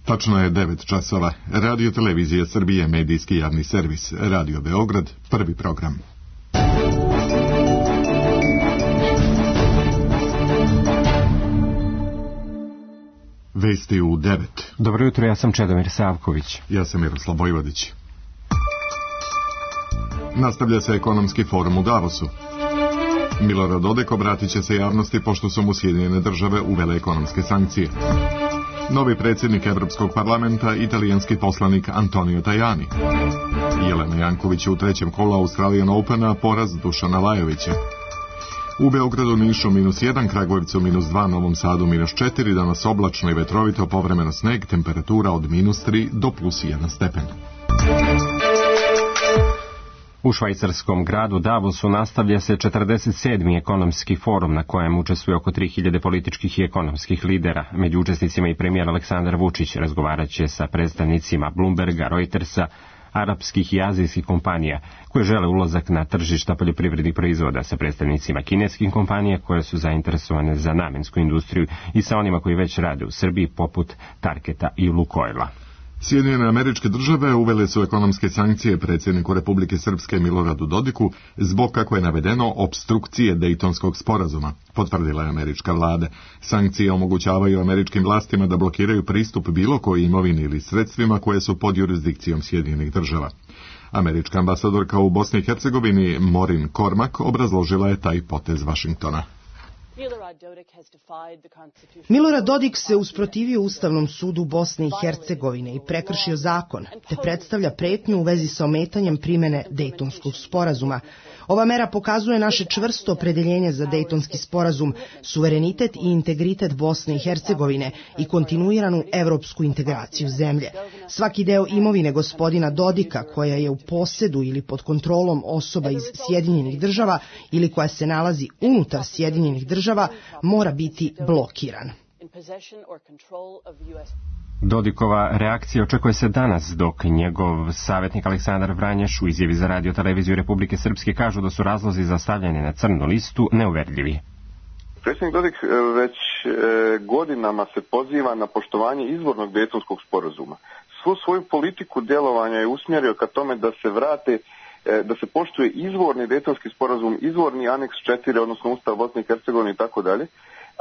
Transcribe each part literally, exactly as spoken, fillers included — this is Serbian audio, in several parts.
Tačno je devet časova. Radio Televizija Srbije, medijski javni servis. Radio Beograd, prvi program. Vesti u devet. Dobro jutro, ja sam Čedomir Savković. Ja sam Miroslav Vojvodić. Nastavlja se ekonomski forum u Davosu. Milorad Dodik obratit će se javnosti pošto su mu Sjedinjene države uvele ekonomske sankcije. Novi predsjednik Evropskog parlamenta, italijanski poslanik Antonio Tajani. Jelena Janković u trećem kolu Australian Opena, poraz Dušana Lajovića. U Beogradu, Nišu minus jedan, Kragujevcu minus dva, Novom Sadu minus četiri, danas oblačno i vetrovito, povremeno sneg, temperatura od minus tri do plus jedan stepen. U švajcarskom gradu Davosu nastavlja se četrdeset sedmi ekonomski forum na kojem učestvuje oko tri hiljade političkih i ekonomskih lidera. Među učesnicima i premijer Aleksandar Vučić razgovarat će sa predstavnicima Bloomberga, Reutersa, arapskih i azijskih kompanija koje žele ulazak na tržišta poljoprivrednih proizvoda, sa predstavnicima kineskih kompanija koje su zainteresovane za namensku industriju i sa onima koji već rade u Srbiji poput Tarketa i Lukoila. Sjedinjene Američke Države uvele su ekonomske sankcije predsjedniku Republike Srpske Miloradu Dodiku zbog, kako je navedeno, opstrukcije Dejtonskog sporazuma, potvrdila je američka vlada. Sankcije omogućavaju američkim vlastima da blokiraju pristup bilo kojoj imovini ili sredstvima koje su pod jurisdikcijom Sjedinjenih Država. Američka ambasadorka u Bosni i Hercegovini Morin Kormak obrazložila je taj potez Vašingtona. Milorad Dodik se usprotivio Ustavnom sudu Bosne i Hercegovine i prekršio zakon, te predstavlja pretnju u vezi sa ometanjem primene Dejtonskog sporazuma. Ova mera pokazuje naše čvrsto opredeljenje za Dejtonski sporazum, suverenitet i integritet Bosne i Hercegovine i kontinuiranu evropsku integraciju zemlje. Svaki deo imovine gospodina Dodika, koja je u posedu ili pod kontrolom osoba iz Sjedinjenih Država ili koja se nalazi unutar Sjedinjenih Država, mora biti blokiran. Dodikova reakcija očekuje se danas, dok njegov savjetnik Aleksandar Vranješ u izjavi za Radio Televiziju Republike Srpske kažu da su razlozi za stavljanje na crnu listu neuverljivi. Predsjednik Dodik već godinama se poziva na poštovanje izvornog Dejtonskog sporazuma. Svu svoju politiku djelovanja je usmjerio ka tome da se vrate, da se poštuje izvorni Dejtonski sporazum, izvorni aneks četiri, odnosno Ustav Bosne i Hercegovine i tako dalje,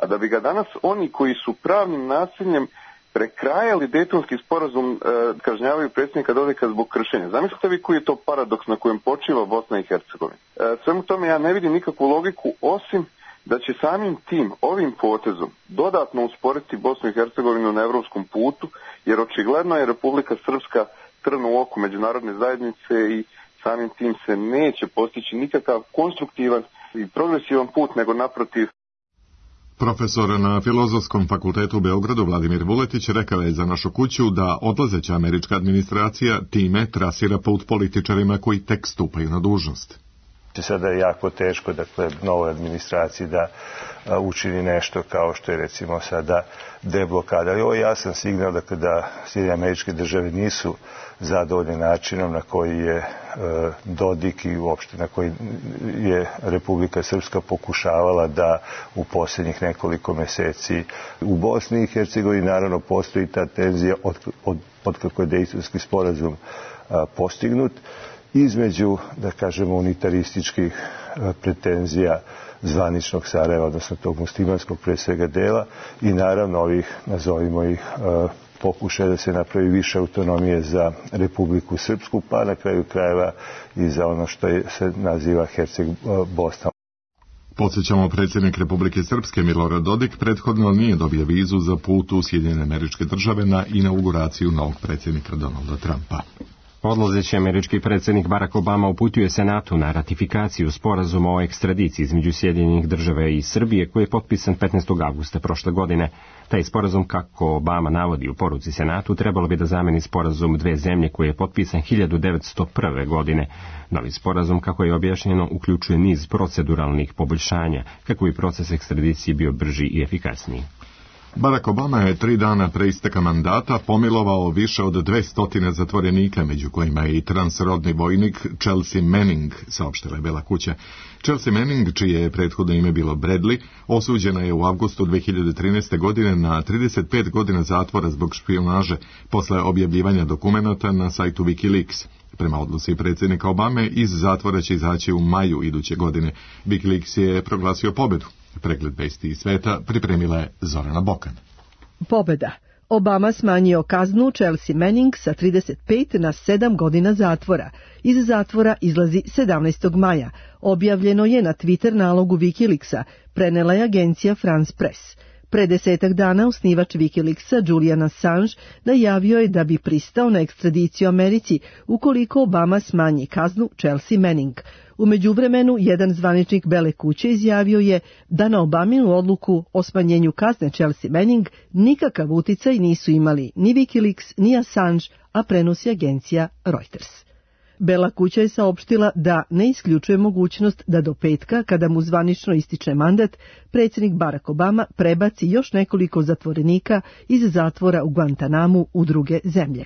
a da bi ga danas oni koji su pravnim nasiljem prekrajali Dejtonski sporazum, e, kažnjavaju predsjednika Dodika zbog kršenja. Zamislite vi koji je to paradoks na kojem počiva Bosna i Hercegovina. E, svemu tome ja ne vidim nikakvu logiku, osim da će samim tim, ovim potezom, dodatno usporiti Bosnu i Hercegovinu na evropskom putu, jer očigledno je Republika Srpska trn u oku međunarodne zajednice i samim tim se neće postići nikakav konstruktivan i progresivan put, nego naprotiv. Profesor na Filozofskom fakultetu u Beogradu Vladimir Vuletić rekao je za Našu kuću da odlazeća američka administracija time trasira put političarima koji tek stupaju na dužnost. Sada je jako teško, dakle, novoj administraciji da a, učini nešto kao što je recimo sada deblokada. Ali ovo je jasan signal, dakle, da Sjedinjene Američke Države nisu zadovoljni načinom na koji je e, Dodik i uopšte na koji je Republika Srpska pokušavala da u posljednjih nekoliko mjeseci u Bosni i Hercegovini naravno postoji ta tenzija od, od, od kako je Dejtonski sporazum a, postignut između, da kažemo, unitarističkih a, pretenzija zvaničnog Sarajeva, odnosno tog muslimanskog pre svega dela i naravno ovih, nazovimo ih, a, pokušaj da se napravi više autonomije za Republiku Srpsku, pa na kraju krajeva i za ono što je, se naziva Herceg Bosna. Podsjećamo, predsjednik Republike Srpske Milorad Dodik prethodno nije dobio vizu za put u Sjedinjene Američke Države na inauguraciju novog predsjednika Donalda Trumpa. Odlazeći američki predsjednik Barack Obama uputio Senatu na ratifikaciju sporazuma o ekstradiciji između Sjedinjenih Država i Srbije koji je potpisan petnaestog avgusta prošle godine. Taj sporazum, kako Obama navodi u poruci Senatu, trebalo bi da zameni sporazum dve zemlje koji je potpisan hiljadu devetsto prve. godine. Novi sporazum, kako je objašnjeno, uključuje niz proceduralnih poboljšanja kako bi proces ekstradicije bio brži i efikasniji. Barack Obama je tri dana pre isteka mandata pomilovao više od dvesta zatvorenika, među kojima je i transrodni vojnik Chelsea Manning, saopštila je Bela kuća. Chelsea Manning, čije je prethodno ime bilo Bradley, osuđena je u avgustu dve hiljade trinaeste. godine na trideset pet godina zatvora zbog špijunaže posle objavljivanja dokumenata na sajtu Wikileaks. Prema odluci predsjednika Obame, iz zatvora će izaći u maju iduće godine. Wikileaks je proglasio pobedu. Pregled vesti iz sveta pripremila je Zorana Bokan. Pobeda. Obama smanjio kaznu Chelsea Manning sa trideset pet na sedam godina zatvora. Iz zatvora izlazi sedamnaestog maja. Objavljeno je na Twitter nalogu Wikileaksa, prenela je agencija France Press. Pre desetak dana osnivač Wikileaksa Julian Assange najavio je da bi pristao na ekstradiciju Americi ukoliko Obama smanji kaznu Chelsea Manning. U međuvremenu, jedan zvaničnik Bele kuće izjavio je da na Obaminu odluku o smanjenju kazne Chelsea Manning nikakav uticaj nisu imali ni Wikileaks ni Assange, a prenosi agencija Reuters. Bela kuća je saopštila da ne isključuje mogućnost da do petka, kada mu zvanično ističe mandat, predsjednik Barack Obama prebaci još nekoliko zatvorenika iz zatvora u Guantanamu u druge zemlje.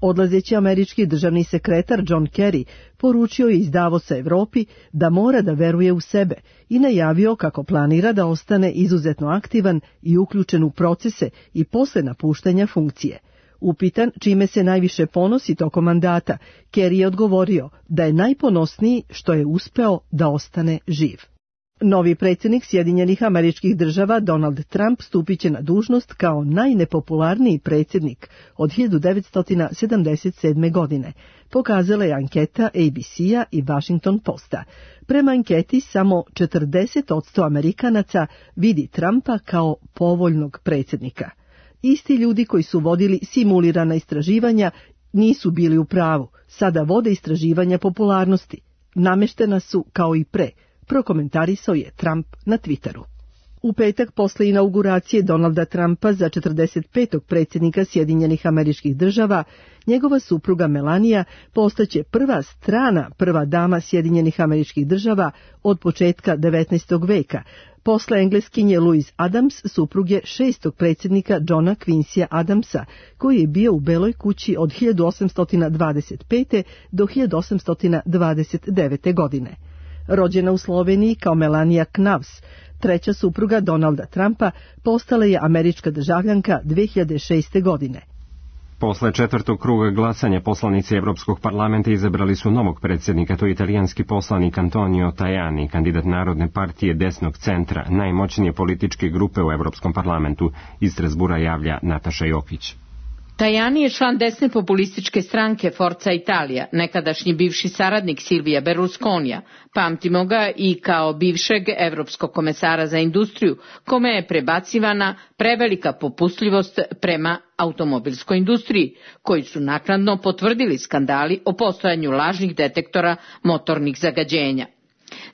Odlazeći američki državni sekretar John Kerry poručio je iz Davosa Evropi da mora da veruje u sebe i najavio kako planira da ostane izuzetno aktivan i uključen u procese i posle napuštanja funkcije. Upitan čime se najviše ponosi tokom mandata, Kerry je odgovorio da je najponosniji što je uspeo da ostane živ. Novi predsjednik Sjedinjenih Američkih Država Donald Trump stupit će na dužnost kao najnepopularniji predsjednik od hiljadu devetsto sedamdeset sedme. godine, pokazala je anketa A B C-a i Washington Posta. Prema anketi samo četrdeset posto Amerikanaca vidi Trumpa kao povoljnog predsjednika. Isti ljudi koji su vodili simulirana istraživanja nisu bili u pravu, sada vode istraživanja popularnosti. Nameštena su kao i pre, prokomentarisao je Trump na Twitteru. U petak posle inauguracije Donalda Trumpa za četrdeset petog predsjednika Sjedinjenih Američkih Država, njegova supruga Melania postaće prva strana prva dama Sjedinjenih Američkih Država od početka devetnaestog veka, posle engleskinje Louise Adams, supruge šestog predsjednika Johna Quincyja Adamsa, koji je bio u Beloj kući od hiljadu osamsto dvadeset pete. do hiljadu osamsto dvadeset devete. godine. Rođena u Sloveniji kao Melania Knavs, treća supruga Donalda Trumpa, postala je američka državljanka dve hiljade šeste. godine. Posle četvrtog kruga glasanja poslanici Evropskog parlamenta izabrali su novog predsjednika, to je italijanski poslanik Antonio Tajani, kandidat Narodne partije desnog centra, najmoćnije političke grupe u Evropskom parlamentu. Iz Strasbura javlja Nataša Jokić. Tajani je član desne populističke stranke Forza Italia, nekadašnji bivši saradnik Silvija Berlusconija. Pamtimo ga i kao bivšeg evropskog komesara za industriju, kome je prebacivana prevelika popustljivost prema automobilskoj industriji, koji su naknadno potvrdili skandali o postojanju lažnih detektora motornih zagađenja.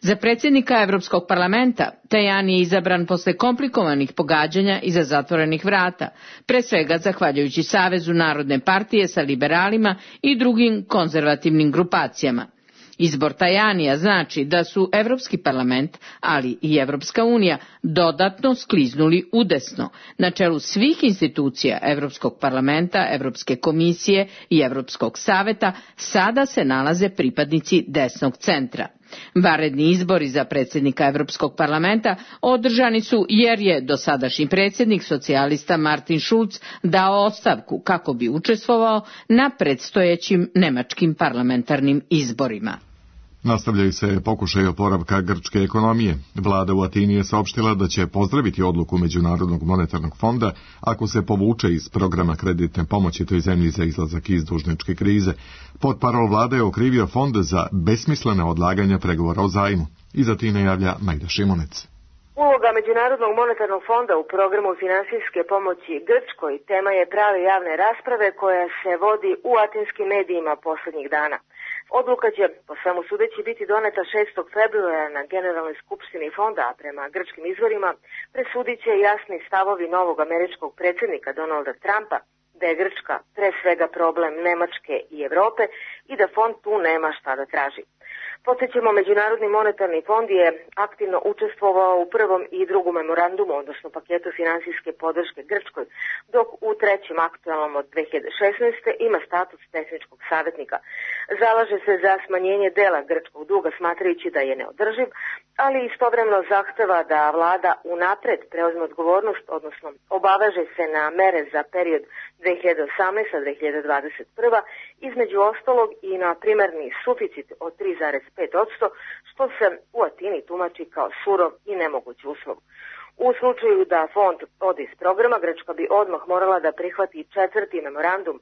Za predsjednika Evropskog parlamenta Tajani je izabran posle komplikovanih pogađanja iza zatvorenih vrata, pre svega zahvaljujući Savezu Narodne partije sa liberalima i drugim konzervativnim grupacijama. Izbor Tajanija znači da su Evropski parlament, ali i Evropska unija dodatno skliznuli udesno. Na čelu svih institucija Evropskog parlamenta, Evropske komisije i Evropskog saveta sada se nalaze pripadnici desnog centra. Vanredni izbori za predsjednika Evropskog parlamenta održani su jer je dosadašnji predsjednik socijalista Martin Schulz dao ostavku kako bi učestvovao na predstojećim nemačkim parlamentarnim izborima. Nastavljaju se pokušaj oporavka grčke ekonomije. Vlada u Atini je saopštila da će pozdraviti odluku Međunarodnog monetarnog fonda ako se povuče iz programa kreditne pomoći toj zemlji za izlazak iz dužničke krize. Portparol vlade je okrivio fond za besmislene odlaganja pregovora o zajmu. Iz Atine javlja Majda Šimunec. Uloga Međunarodnog monetarnog fonda u programu finansijske pomoći Grčkoj tema je prave javne rasprave koja se vodi u atinskim medijima posljednjih dana. Odluka će, po svemu sudeći, biti doneta šestog februara na Generalnoj skupštini fonda, a prema grčkim izvorima presudit će jasni stavovi novog američkog predsjednika Donalda Trumpa, da je Grčka pre svega problem Nemačke i Evrope i da fond tu nema šta da traži. Podsjećamo, Međunarodni monetarni fond je aktivno učestvovao u prvom i drugom memorandumu, odnosno paketu finansijske podrške Grčkoj, dok u trećem aktualnom od dve hiljade šesnaeste. ima status tehničkog savjetnika. Zalaže se za smanjenje dela grčkog duga, smatrajući da je neodrživ, ali istovremeno zahteva da vlada unapred preuzme odgovornost, odnosno obaveže se na mere za period dve hiljade osamnaeste. do dve hiljade dvadeset prve. između ostalog i na primarni suficit od tri zarez pet posto, što se u Atini tumači kao surov i nemoguć uslov. U slučaju da fond ode iz programa, Grčka bi odmah morala da prihvati četvrti memorandum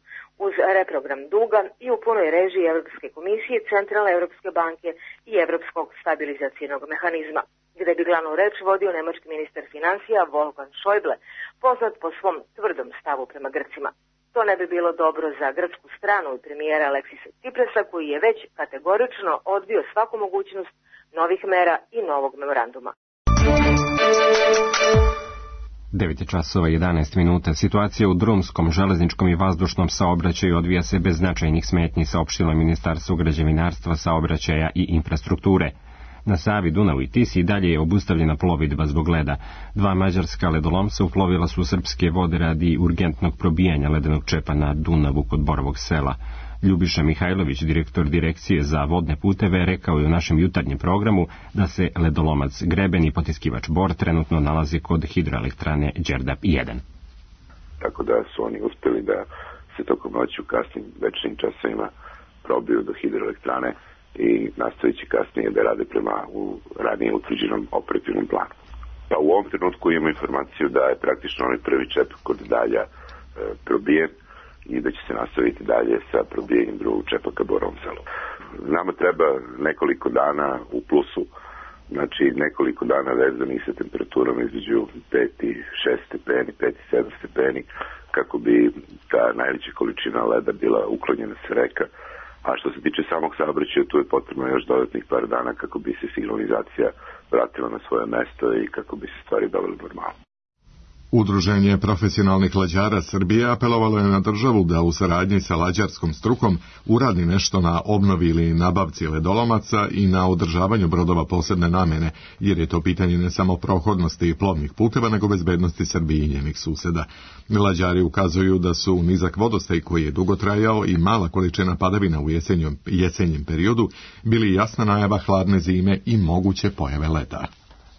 uz reprogram duga i u punoj režiji Evropske komisije, Centralne Evropske banke i Evropskog stabilizacijnog mehanizma, gde bi glavnu reč vodio nemački ministar financija Wolfgang Schäuble, poznat po svom tvrdom stavu prema Grcima. To ne bi bilo dobro za grčku stranu i premijera Aleksisa Tsiprasa, koji je već kategorično odbio svaku mogućnost novih mera i novog memoranduma. devet časova i jedanaest minuta. Situacija u drumskom, železničkom i vazdušnom saobraćaju odvija se bez značajnih smetnji, saopštilo Ministarstvo građevinarstva, saobraćaja i infrastrukture. Na Savi, Dunavu i Tisi i dalje je obustavljena plovidba zbog leda. Dva mađarska ledolomca uplovila su u srpske vode radi urgentnog probijanja ledenog čepa na Dunavu kod Borovog sela. Ljubiša Mihajlović, direktor direkcije za vodne puteve, rekao je u našem jutarnjem programu da se ledolomac Greben i potiskivač Bor trenutno nalazi kod hidroelektrane Đerdap jedan. Tako da su oni uspjeli da se tokom noći u kasnim večernjim časovima probiju do hidroelektrane i nastavit će kasnije da rade prema u ranije utvrđenom operativnom planu. Pa u ovom trenutku imamo informaciju da je praktično onaj prvi čep kod Dalja e, probijen i da će se nastaviti dalje sa probijenjem drugog čepa ka Borovom selu. Nama treba nekoliko dana u plusu, znači nekoliko dana vezanih sa temperaturom između pet i šest stepeni, pet i sedam stepeni, kako bi ta najveća količina leda bila uklonjena sa reka. A što se tiče samog saobraćaja, tu je potrebno još dodatnih par dana kako bi se signalizacija vratila na svoje mesto i kako bi se stvari dovele normalno. Udruženje profesionalnih lađara Srbije apelovalo je na državu da u saradnji sa lađarskom strukom uradi nešto na obnovi ili nabavci ledolomaca i na održavanju brodova posebne namene, jer je to pitanje ne samo prohodnosti plovnih puteva, nego bezbednosti Srbije i njenih suseda. Lađari ukazuju da su nizak vodostaj koji je dugo trajao i mala količina padavina u jesenjem, jesenjem periodu bili jasna najava hladne zime i moguće pojave leda.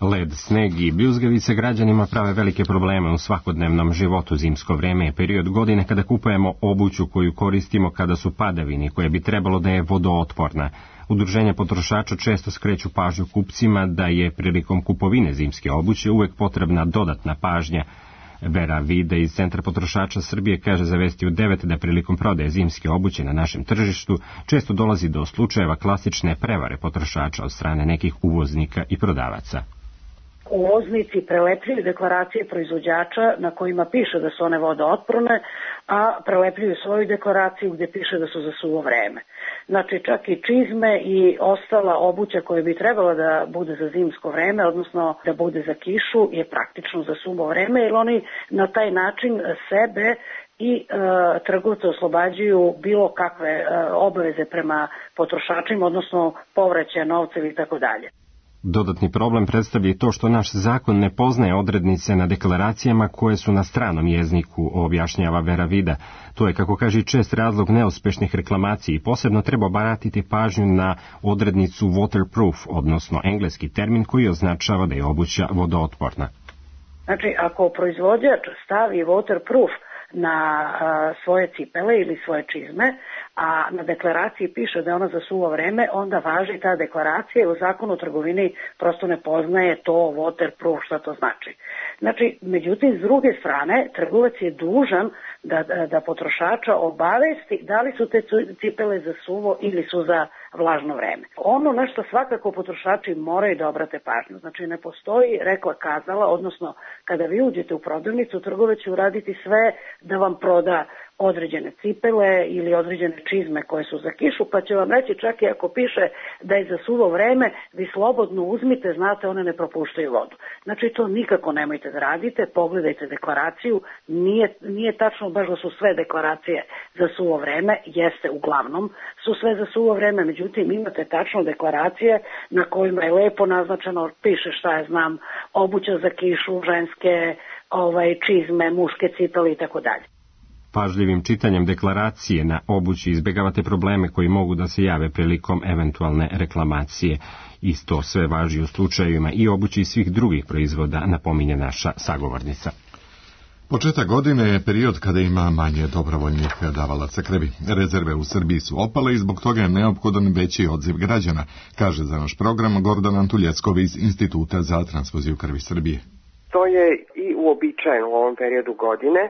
Led, sneg i bljuzgavice građanima prave velike probleme u svakodnevnom životu. Zimsko vreme je period godine kada kupujemo obuću koju koristimo kada su padavini, koja bi trebalo da je vodootporna. Udruženja potrošača često skreću pažnju kupcima da je prilikom kupovine zimske obuće uvek potrebna dodatna pažnja. Vera Vide iz Centra potrošača Srbije kaže za Vesti u devet da prilikom prodaje zimske obuće na našem tržištu često dolazi do slučajeva klasične prevare potrošača od strane nekih uvoznika i prodavaca. Uvoznici prelepljuju deklaracije proizvođača na kojima piše da su one vodootporne, a prelepljuju svoju deklaraciju gdje piše da su za suvo vreme. Znači čak i čizme i ostala obuća koja bi trebala da bude za zimsko vreme, odnosno da bude za kišu, je praktično za suvo vreme, jer oni na taj način sebe i e, trgovce oslobađaju bilo kakve e, obaveze prema potrošačima, odnosno povraćaja novca ili tako dalje. Dodatni problem predstavlja i to što naš zakon ne poznaje odrednice na deklaracijama koje su na stranom jeziku, objašnjava Vera Vida. To je, kako kaže, čest razlog neuspešnih reklamacija i posebno treba obratiti pažnju na odrednicu waterproof, odnosno engleski termin koji označava da je obuća vodootporna. Znači, ako proizvođač stavi waterproof na a, svoje cipele ili svoje čizme, a na deklaraciji piše da je ona za suvo vreme, onda važi ta deklaracija i u zakonu o trgovini prosto ne poznaje to waterproof, šta to znači. Znači, međutim, s druge strane, trgovac je dužan da, da, da potrošača obavesti da li su te cipele za suvo ili su za vlažno vreme. Ono na što svakako potrošači moraju da obrate pažnju. Znači, ne postoji rekla kazala, odnosno kada vi uđete u prodavnicu, trgovac će uraditi sve da vam proda određene cipele ili određene čizme koje su za kišu, pa će vam reći čak i ako piše da je za suvo vreme, vi slobodno uzmite, znate, one ne propuštaju vodu. Znači, to nikako nemojte da radite, pogledajte deklaraciju, nije, nije tačno baš da su sve deklaracije za suvo vreme, jeste uglavnom, su sve za suvo vreme, međutim, međutim imate tačno deklaracije na kojima je lepo naznačeno, piše šta ja znam, obuća za kišu, ženske ovaj, čizme, muške cipele i tako dalje. Pažljivim čitanjem deklaracije na obući izbjegavate probleme koji mogu da se jave prilikom eventualne reklamacije. Isto sve važi u slučajevima i obući i svih drugih proizvoda, napominje naša sagovornica. Početak godine je period kada ima manje dobrovoljnih davalaca krvi. Rezerve u Srbiji su opale i zbog toga je neophodan veći odziv građana, kaže za naš program Gordana Antuljeckov iz Instituta za transfuziju krvi Srbije. To je i uobičajeno u ovom periodu godine,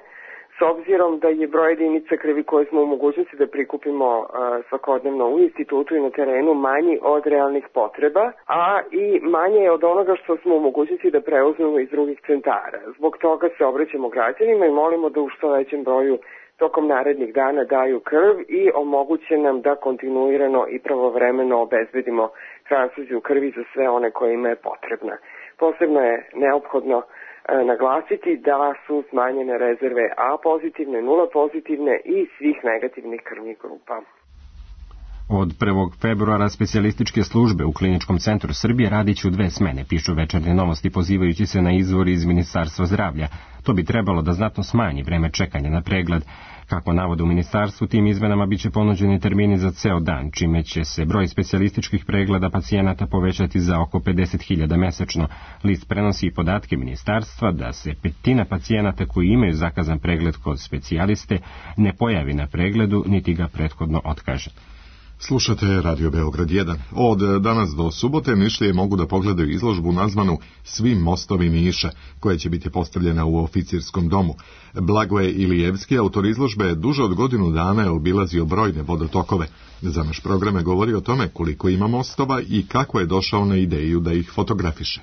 s obzirom da je broj jedinica krvi koje smo u mogućnosti da prikupimo uh, svakodnevno u institutu i na terenu manji od realnih potreba, a i manje je od onoga što smo u mogućnosti da preuzmemo iz drugih centara. Zbog toga se obraćamo građanima i molimo da u što većem broju tokom narednih dana daju krv i omoguće nam da kontinuirano i pravovremeno obezbedimo transfuziju krvi za sve one kojima je potrebna. Posebno je neophodno naglasiti da su smanjene rezerve A pozitivne, nula pozitivne i svih negativnih krvnih grupa. Od prvog februara specijalističke službe u Kliničkom centru Srbije radit će u dve smene, pišu Večernje novosti pozivajući se na izvor iz Ministarstva zdravlja. To bi trebalo da znatno smanji vreme čekanja na pregled. Kako navode u ministarstvu, tim izmenama biće ponuđeni termini za ceo dan, čime će se broj specijalističkih pregleda pacijenata povećati za oko pedeset hiljada mesečno. List prenosi i podatke ministarstva da se petina pacijenata koji imaju zakazan pregled kod specijaliste ne pojavi na pregledu, niti ga prethodno otkaže. Slušate Radio Beograd jedan. Od danas do subote Nišlije mogu da pogledaju izložbu nazvanu Svi mostovi Niša, koja će biti postavljena u oficirskom domu. Blagoje Ilijevski, autor izložbe, duže od godinu dana je obilazio brojne vodotokove. Za naš program je govori o tome koliko ima mostova i kako je došao na ideju da ih fotografiše.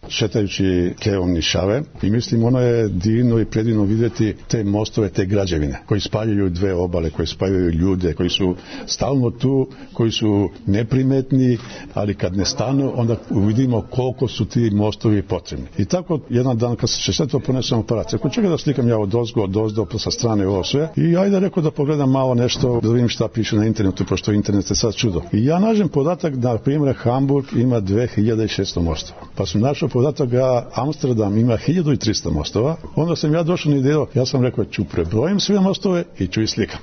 Šetajući keom Nišave i mislim ono je divno i predivno vidjeti te mostove, te građevine koji spajaju dve obale, koji spajaju ljude, koji su stalno tu, koji su neprimetni, ali kad ne stanu onda vidimo koliko su ti mostovi potrebni. I tako jedan dan kad se sve to ponesem aparat, ako čega da slikam ja od ozgo, od ozdo, sa strane ovo sve i ajde rekao da pogledam malo nešto, da vidim šta piše na internetu, pošto internet je sad čudo. I ja nađem podatak da, na primjer, Hamburg ima dve hiljade šesto mostova. Pa sam našao podatak da Amsterdam ima hiljadu i trista mostova. Onda sam ja došao na ideju, ja sam rekao ću prebrojim sve mostove i ću ih slikam.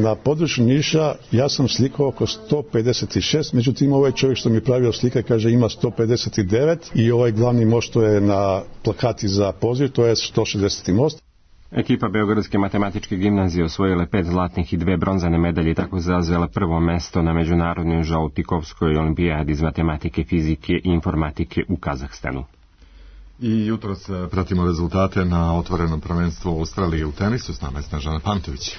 Na području Niša ja sam slikao oko sto pedeset šest, međutim ovaj čovjek što mi pravio slika kaže ima sto pedeset devet i ovaj glavni most što je na plakati za poziv, to je sto šezdeset most. Ekipa Beogradske matematičke gimnazije osvojila pet zlatnih i dve bronzane medalje i tako zauzela prvo mesto na međunarodnoj Žautikovskoj olimpijadi iz matematike, fizike i informatike u Kazahstanu. I jutros pratimo rezultate na otvorenom prvenstvu Australije u tenisu. S nama je Snežana Pantović.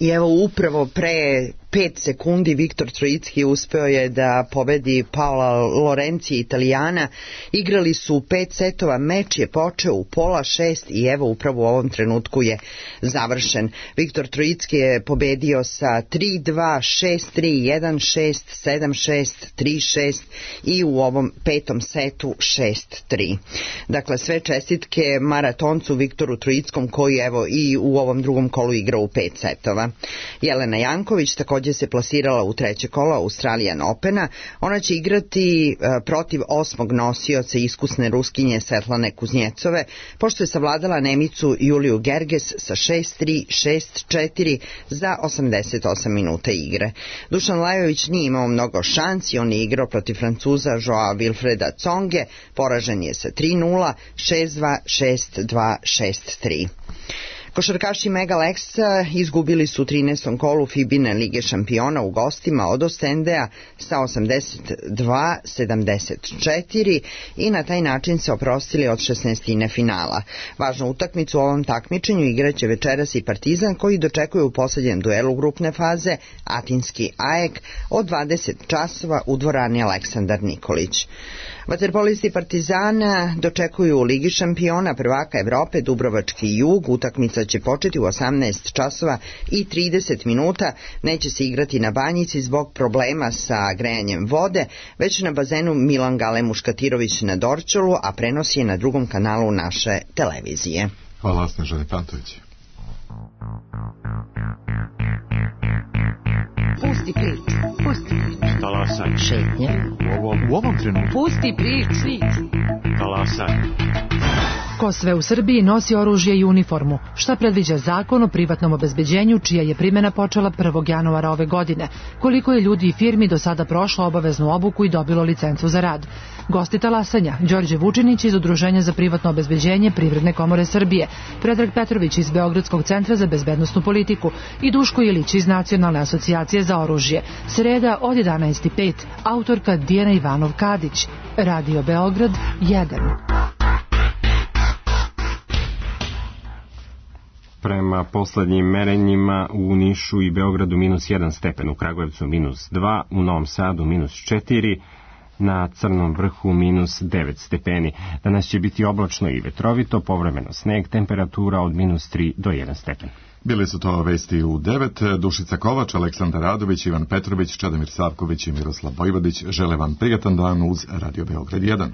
I evo upravo pre pet sekundi Viktor Trojicki uspeo je da pobedi Paola Lorenzi, Italijana. Igrali su pet setova, meč je počeo u pola šest i evo upravo u ovom trenutku je završen. Viktor Trojicki je pobedio sa tri dva, šest tri, jedan šest, sedam šest, tri šest i u ovom petom setu šest tri. Dakle, sve čestitke maratoncu Viktoru Trojickom koji evo i u ovom drugom kolu igra u pet setova. Jelena Janković također se plasirala u treće kolo Australian Opena. Ona će igrati e, protiv osmog nosioca iskusne Ruskinje Svetlane Kuznjecove, pošto je savladala Nemicu Juliju Gerges sa šest tri, šest četiri za osamdeset osam minuta igre. Dušan Lajović nije imao mnogo šansi, on je igrao protiv Francuza Joao Wilfreda Tsonge, poražen je sa tri nula, šest dva, šest dva, šest tri. Košarkaši Mega Lexa izgubili su u trinaestom kolu Fibine Lige šampiona u gostima od Ostendea sa osamdeset dva sedamdeset četiri i na taj način se oprostili od šesnaestine finala. Važnu utakmicu u ovom takmičenju igraće večeras i Partizan koji dočekuje u posljednjem duelu grupne faze Atinski Ajek od dvadeset časova u dvorani Aleksandar Nikolić. Vaterpolisti Partizana dočekuju u Ligi šampiona prvaka Evrope Dubrovački Jug. Utakmica će početi u osamnaest časova i trideset minuta. Neće se igrati na Banjici zbog problema sa grejanjem vode, već na bazenu Milan Gale Muškatirović na Dorčolu, a prenos je na drugom kanalu naše televizije. Hvala, Snežani Pantović. Pusti priču, pusti priču. Talas U ovom trenutku. Pusti priču. Talasaj. Ko sve u Srbiji nosi oružje i uniformu? Šta predviđa zakon o privatnom obezbeđenju, čija je primjena počela prvog januara ove godine? Koliko je ljudi i firmi do sada prošlo obaveznu obuku i dobilo licencu za rad? Gosti talasanja, Đorđe Vučinić iz Udruženja za privatno obezbeđenje Privredne komore Srbije, Predrag Petrović iz Beogradskog centra za bezbednosnu politiku i Duško Ilić iz Nacionalne asocijacije za oružje. Sreda od jedanaest i pet, autorka Dijana Ivanov-Kadić. Radio Beograd jedan. Prema poslednjim merenjima u Nišu i Beogradu minus jedan stepen, u Kragujevcu minus dva, u Novom Sadu minus četiri, na Crnom vrhu minus devet stepeni. Danas će biti oblačno i vetrovito, povremeno sneg, temperatura od minus tri do jedan stepen. Bili su to vesti u devet. Dušica Kovač, Aleksandar Radović, Ivan Petrović, Čedomir Savković i Miroslav Vojvodić žele vam prijatan dan uz Radio Beograd jedan.